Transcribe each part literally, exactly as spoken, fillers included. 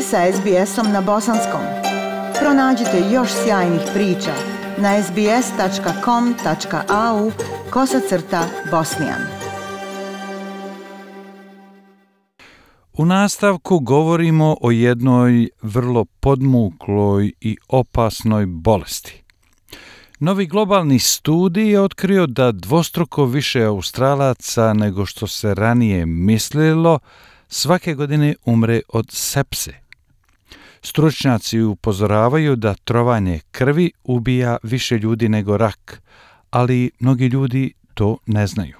ste sa es be esom na bosanskom. Pronađite još sjajnih priča na es be es tačka com tačka a u kosacrta bosnijan. U nastavku govorimo o jednoj vrlo podmukloj i opasnoj bolesti. Novi globalni studij je otkrio da dvostruko više Australaca nego što se ranije mislilo svake godine umre od sepse. Stručnjaci upozoravaju da trovanje krvi ubija više ljudi nego rak, ali mnogi ljudi to ne znaju.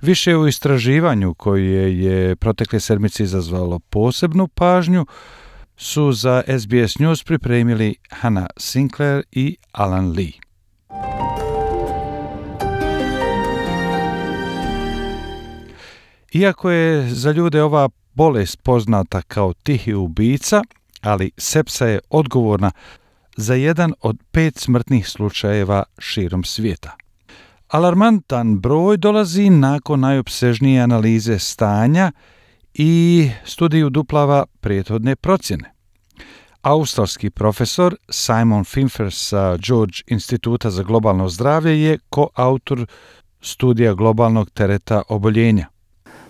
Više u istraživanju koje je protekle sedmice izazvalo posebnu pažnju su za es be es News pripremili Hannah Sinclair i Alan Lee. Iako je za ljude ova bolest poznata kao tihi ubica, ali sepsa je odgovorna za jedan od pet smrtnih slučajeva širom svijeta. Alarmantan broj dolazi nakon najopsežnije analize stanja i studij uduplava prethodne procjene. Australski profesor Simon Finfer sa George instituta za globalno zdravlje je koautor studija globalnog tereta oboljenja.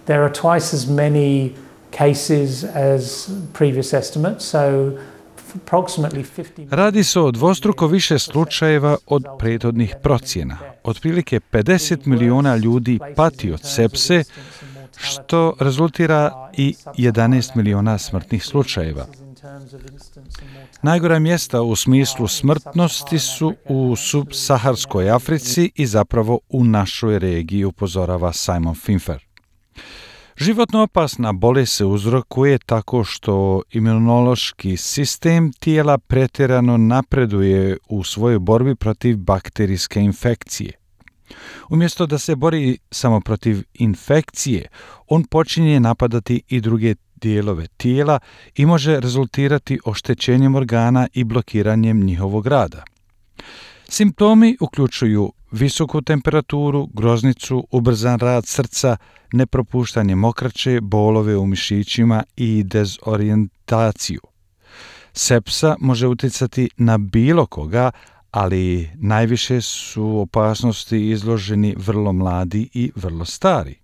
There are twice as many cases as previous estimates, so approximately fifty. Radi se o dvostruko više slučajeva od prethodnih procjena. Otprilike pedeset miliona ljudi pati od sepse, što rezultira i jedanaest miliona smrtnih slučajeva. Najgora mjesta u smislu smrtnosti su u subsaharskoj Africi i zapravo u našoj regiji, upozorava Simon Finfer. Životno opasna bolest se uzrokuje tako što imunološki sistem tijela pretjerano napreduje u svojoj borbi protiv bakterijske infekcije. Umjesto da se bori samo protiv infekcije, on počinje napadati i druge dijelove tijela i može rezultirati oštećenjem organa i blokiranjem njihovog rada. Simptomi uključuju visoku temperaturu, groznicu, ubrzan rad srca, nepropuštanje mokraće, bolove u mišićima i dezorijentaciju. Sepsa može utjecati na bilo koga, ali najviše su opasnosti izloženi vrlo mladi i vrlo stari.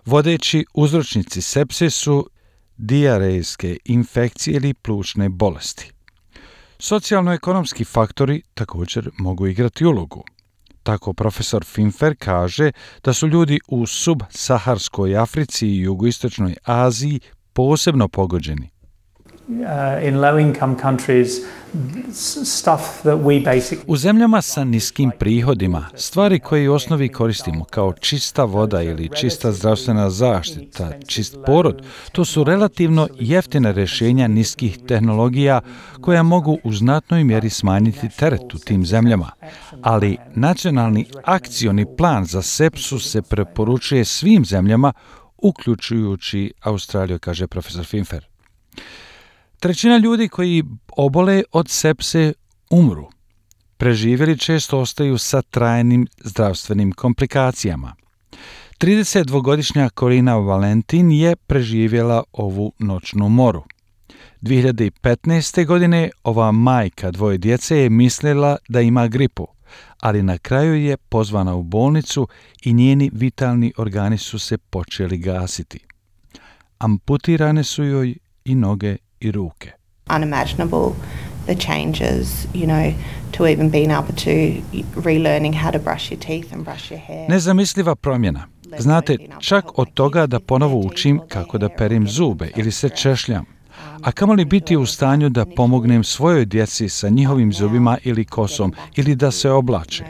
Vodeći uzročnici sepse su dijarejske infekcije ili plućne bolesti. Socijalno-ekonomski faktori također mogu igrati ulogu. Tako profesor Finfer kaže da su ljudi u subsaharskoj Africi i jugoistočnoj Aziji posebno pogođeni. In low income countries, stuff that we basically... U zemljama sa niskim prihodima, stvari koje u osnovi koristimo kao čista voda ili čista zdravstvena zaštita, čist porod, to su relativno jeftine rješenja niskih tehnologija koja mogu u znatnoj mjeri smanjiti teret u tim zemljama. Ali nacionalni akcioni plan za sepsu se preporučuje svim zemljama, uključujući Australiju, kaže profesor Finfer. Trećina ljudi koji obole od sepse umru. Preživjeli često ostaju sa trajnim zdravstvenim komplikacijama. tridesetdvogodišnja Corina Valentin je preživjela ovu noćnu moru. dvije hiljade petnaeste. godine ova majka dvoje djece je mislila da ima gripu, ali na kraju je pozvana u bolnicu i njeni vitalni organi su se počeli gasiti. Amputirane su joj i noge i ruke. Unimaginable the changes, you know, to even being able to relearning how to brush your teeth and brush your hair. Nezamisliva promjena. Znate, čak od toga da ponovo učim kako da perim zube ili se češljam, a kamoli biti u stanju da pomognem svojoj djeci sa njihovim zubima ili kosom ili da se oblače.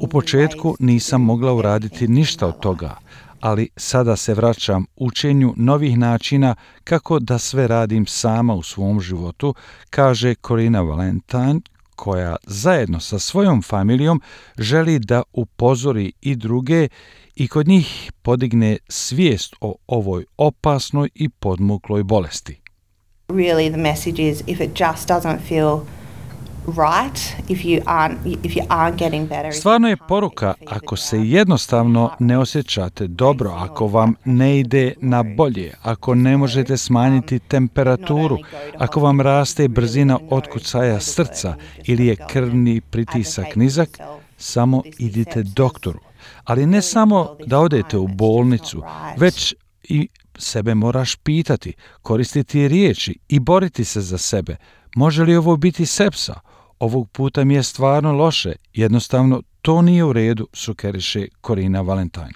U početku nisam mogla uraditi ništa od toga, ali sada se vraćam učenju novih načina kako da sve radim sama u svom životu, kaže Corina Valentine, koja zajedno sa svojom familijom želi da upozori i druge i kod njih podigne svijest o ovoj opasnoj i podmukloj bolesti. Really the message is if it just doesn't feel right if you aren't if you aren't getting better. Stvarno je poruka ako se jednostavno ne osjećate dobro, ako vam ne ide na bolje, ako ne možete smanjiti temperaturu, ako vam raste brzina otkucaja srca ili je krvni pritisak nizak, samo idite doktoru. Ali ne samo da odete u bolnicu, već i sebe moraš pitati, koristiti riječi i boriti se za sebe. Može li ovo biti sepsa? Ovog puta mi je stvarno loše, jednostavno to nije u redu, sugeriše Corina Valentine.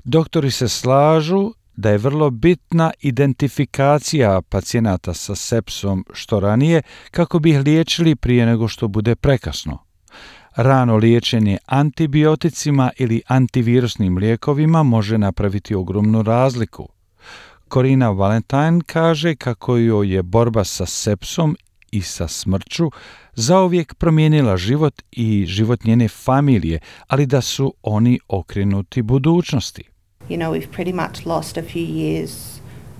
Doktori se slažu da je vrlo bitna identifikacija pacijenata sa sepsom što ranije kako bi ih liječili prije nego što bude prekasno. Rano liječenje antibioticima ili antivirusnim lijekovima može napraviti ogromnu razliku. Corina Valentine kaže kako joj je borba sa sepsom i sa smrću zauvijek promijenila život i život njene familije, ali da su oni okrenuti budućnosti. You know, we've pretty much lost a few years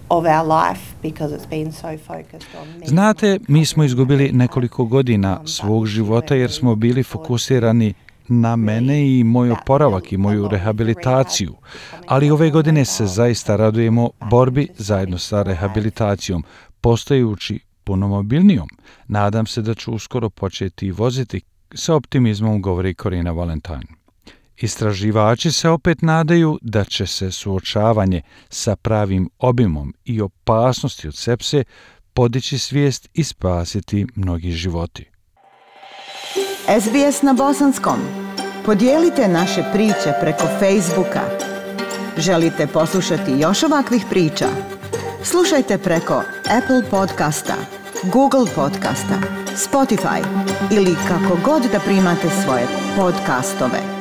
of our life because it's been so focused on me. Znate, mi smo izgubili nekoliko godina svog života jer smo bili fokusirani na mene i moj oporavak i moju rehabilitaciju, ali ove godine se zaista radujemo borbi zajedno sa rehabilitacijom, postajući puno mobilnijom. Nadam se da ću uskoro početi voziti, sa optimizmom govori Corina Valentine. Istraživači se opet nadaju da će se suočavanje sa pravim obimom i opasnosti od sepse podići svijest i spasiti mnogi životi. S B S na bosanskom. Podijelite naše priče preko Facebooka. Želite poslušati još ovakvih priča? Slušajte preko Apple podcasta, Google podcasta, Spotify ili kako god da primate svoje podcastove.